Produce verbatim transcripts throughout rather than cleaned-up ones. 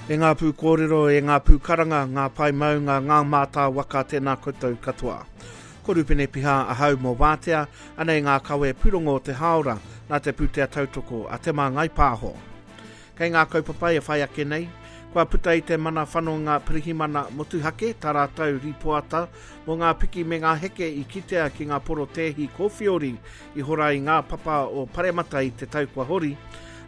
E ngā pū kōrero, e ngā pū karanga, ngā pae maunga, ngā mātā waka, tēnā koutou katoa. Ko Rupene Piha ahau mō Wātea, anei ngā kawe pūrongo o te hāora, nā te pūtea tautoko a Te Māngai Pāho. Kei ngā kaupapa e whai ake nei, kua puta i te mana whanonga pirihimana motuhake tā rātou rīpoata mō ngā piki me ngā heke i kitea ki ngā porotēhi kōwhiori i hora i ngā papa o Paremata i te tau kua hori.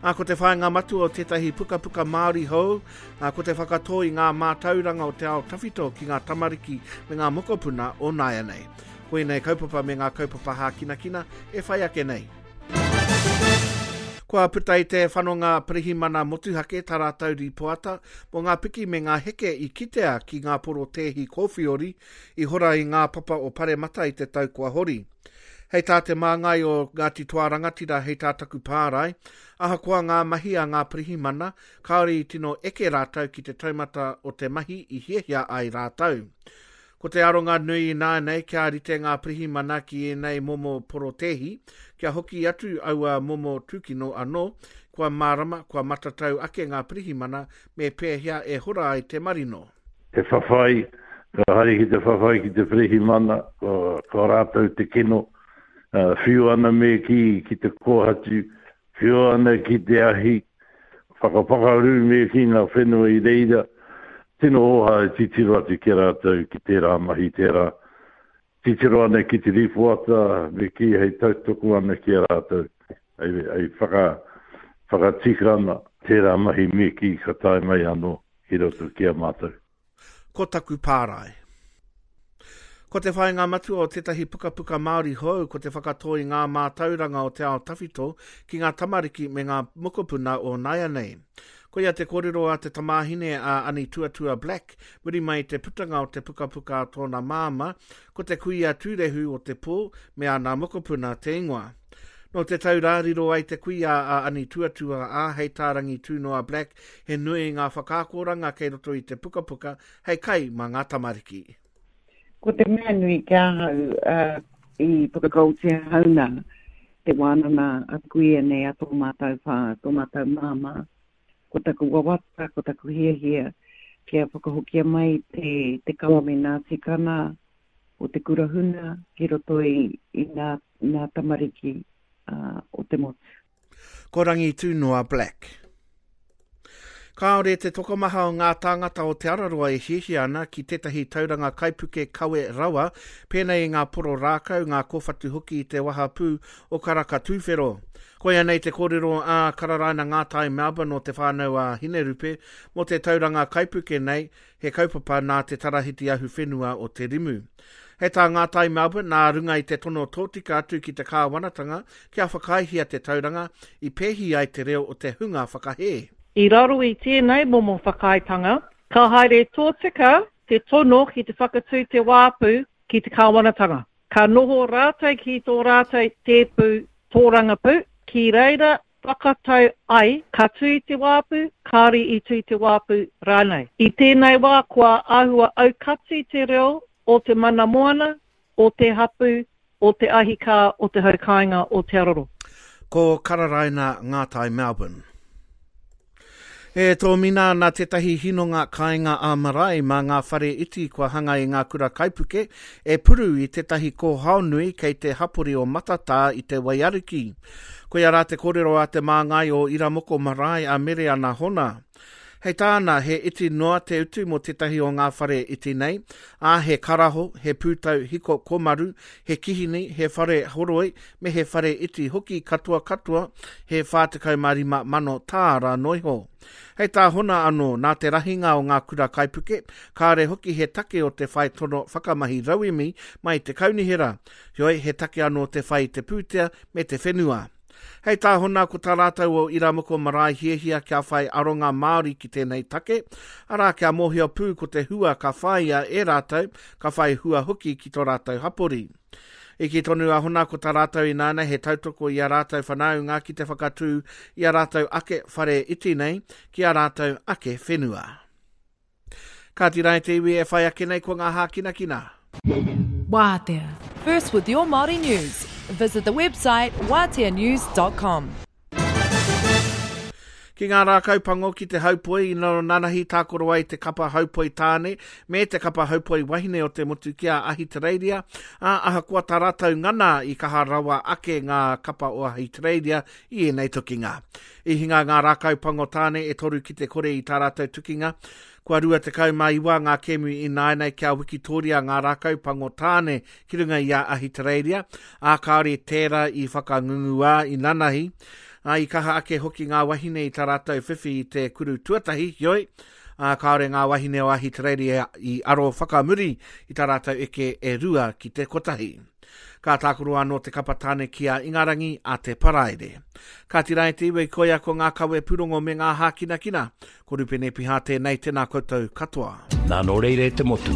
Ā, ko te whāinga matua o tētahi pukapuka Māori hou, ā, ko te whakatō i ngā mātauranga o te ao tawhito ki ngā tamariki me ngā mokopuna o nāianei. Koinei kaupapa me ngā kaupapa hākinakina e whai ake nei. Kua puta i te whanonga pirihimana motuhake tā rātou rīpoata mō ngā piki me ngā heke i kitea ki ngā porotēhi kōwhiori i hora i ngā papa o Paremata i te tau kua hori. Hei tā te māngai o Ngāti Toa Rangatira hei tā Taku Pārae, ahakoa ngā mahi a ngā pirihimana, kāore i tino eke rātou ki te taumata o te mahi i hiahia ai rātou. Ko te aronga nui ināianei kia rite ngā pirihimana ki ēnei momo porotēhi, kia hoki atu aua momo tūkino anō, kua mārama, kua matatau ake ngā pirihimana me pēhea e hora ai te marino. Te whawhai, ka haere ki te whawhai ki te pirihimana, ko, ko rātou te kino, whiu ana me ki, ki te kōhatu, whiu ana ki te ahi, whakapakaru me ki ngā whenua i reira, tino oha e titiro atu ki rātou ki tērā mahi tērā. Titiro ana ki te rīpoata me ki hei tautoko ana ki a rātou, hei, hei whaka, whakatika ana tērā mahi me ki ka tae mai anō ki roto ki a mātou. Ko taku pārae. Ko te whāinga matua o tētahi pukapuka Māori hou ko te whakatō i ngā mātauranga o te ao tawhito ki ngā tamariki me ngā mokopuna o nāianei. Koia te kōrero a te tamāhine a Ani Tuatua Black, muri mai te putanga o te pukapuka a tōna māmā, ko te kuia tūrehu o te pō me ana mokopuna te ingoa. Nō te tau rā riro ai te kuia a Ani Tuatua a hei tā Rangitūnoa Black, he nui ngā whakaakoranga kei roto i te pukapuka hei kai mā ngā tamariki. Ko te mea nui ki ahau uh, i whakakautia hauna te wānanga a kuia nei a tō mātou whā, tō mātou māmā. Ko taku wawata, ko taku hiahia kia whakahokia mai te, te kawa me ngā tikanga o te kura huna ki roto i, i ngā, ngā tamariki uh, o te motu. Ko Rangitūnoa Black. Kāore te tokomaha o ngā tāngata o Te Araroa e hiahia ana ki tētahi tauranga kaipuke kawe rawa, pēnei i ngā poro rākau, ngā kōwhatu hoki i te wahapū o Karaka Tūwhero. Koia nei te kōrero a Kararaina Ngātai Melbourne o te whānau a Hinerupe mō te tauranga kaipuke nei, he kaupapa nā te Tarahiti Ahuwhenua o Te Rimu. Hei tā Ngātai Melbourne, nā runga i te tono tōtika atu ki te kāwanatanga kia whakaaehia te tauranga i pēhi ai te reo o te hunga whakahē. I raro i tēnei momo whakaaetanga, ka haere tōtika te tono ki te whakatū te wāpu ki te kāwanatanga. Ka noho rātou ki tō rātou tēpu tōrangapū, ki reira whakatau ai ka tū te wāpu, kāore i tū te wāpu rānei. I tēnei wā kua āhua aukati te reo o te mana moana, o te hapu, o te ahikā, o te haukāinga, o Te Araroa. Ko Kararaina Ngātai Melbourne. E tōmina ana tētahi hinonga kāinga ā-marae mā ngā whare iti kua hanga i ngā kura kaipuke e puru i tētahi kōhao nui kei te hapori o Matatā i te Waiariki. Koia rā te kōrero a te māngai o Iramoko Marae a Mereana Hona. Hei tāna, he iti noa te utu mō tētahi o ngā whare iti nei, ā he karaho, he pūtau hiko komaru, he kihini, he whare horoi, me he whare iti hoki katoa katoa, he whā tekau mā rima mano tāra noiho. Hei tā Hona anō, nā te rahinga o ngā kura kaipuke, kāre hoki he take o te whai tono whakamahi rauemi mai te kaunihera. Heoi, he take anō te whai te pūtea me te whenua. Hei tā Hona ko tā rātou o Iramoko Marae hiahia kia whai aronga Māori ki tēnei take, arā kia mōhio pū ko te hua ka whāia e rātou, ka whai hua hoki ki tō rātou hapori. I ki tonu a Hona ko tā rātou ināna he tautoko i a rātou whanaunga ki te whakatū i a rātou ake whare iti nei ki a rātou ake whenua. Kāti rā te iwi e whai ake nei ko ngā hākinakina. Wātea. First with your Māori news. Visit the website wātea news dot com. Ki ngā rākau pango ki te haupoi i nanahi tākoro ai te kapa haupoi tāne me te kapa haupoi wahine o te motu ki a Ahitereiria, ā, ahakoa tā rātou ngana i kaha rawa ake ngā kapa o Ahitereiria i ēnei tukinga. I hinga ngā rākau pango tāne e toru ki te kore i tā rātou tukinga. Kua rua tekau mā iwa ngā kēmu ināianei kia wikitoria ngā rākau pango tāne ki runga i a Ahitereiria, ā, kāore tērā i whakangunguā i nanahi. Ā, i kaha ake hoki ngā wahine i tā rātou whiwhi i te kuru tuatahi, heoi, ā, kāore ngā wahine o Ahitereiria i aro whakamuri i tā rātou eke e rua ki te kotahi. Ka tākaro anō te kapa tāne ki a Ingarangi a te Paraire. Ka tira e te iwi koia ko ngā kawe pūrongo me ngā hākinakina. Ko Rupene Piha tēnei, tēnā koutou katoa. Nā nō reira e te motu,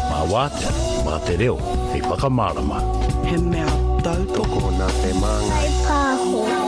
mā wātea, mā te reo, hei whakamārama. He mea tautoko nā te māngai. Pāho.